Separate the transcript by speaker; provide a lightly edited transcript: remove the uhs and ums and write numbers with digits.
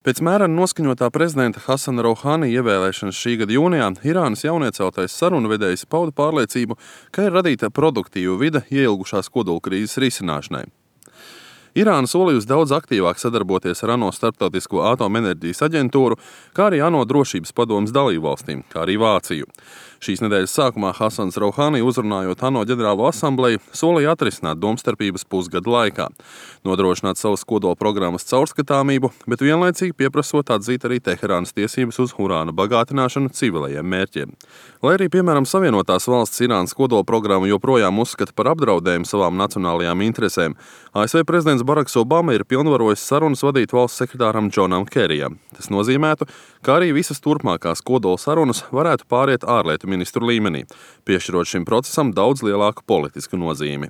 Speaker 1: Pēc mērena noskaņotā prezidenta Hasana Rouhani ievēlēšanas šī gada jūnijā Irānas jaunieceltais sarunvedējs pauda pārliecību, ka ir radīta produktīva vide ieilgušās kodolkrīzes risināšanai. Irāna solījusi daudz aktīvāk sadarboties ar ANO Starptautisko atomenerģijas aģentūru, kā arī ANO drošības padomes dalībvalstīm, kā arī Vāciju. Šīs nedēļas sākumā Hasans Rouhani, uzrunājot ANO ģenerālo asambleju, solīja atrisināt domstarpības pusgada laikā, nodrošināt savas kodola programmas caurskatāmību, bet vienlaicīgi pieprasot atzīt arī Teherānas tiesības uz urāna bagātināšanu civilajiem mērķiem. Lai arī, piemēram, Savienotās valsts Irānas kodola programmu joprojām uzskata par apdraudējumu savām nacionālajām interesēm, ASV prezidents Baraks Obama ir pilnvarojis sarunas vadīt valsts sekretāram Džonam Kerijam. Tas nozīmētu, ka arī visas turpmākās kodola sarunas varētu pāriet ārlietu ministru līmenī, piešķirot šim procesam daudz lielāku politisku nozīmi.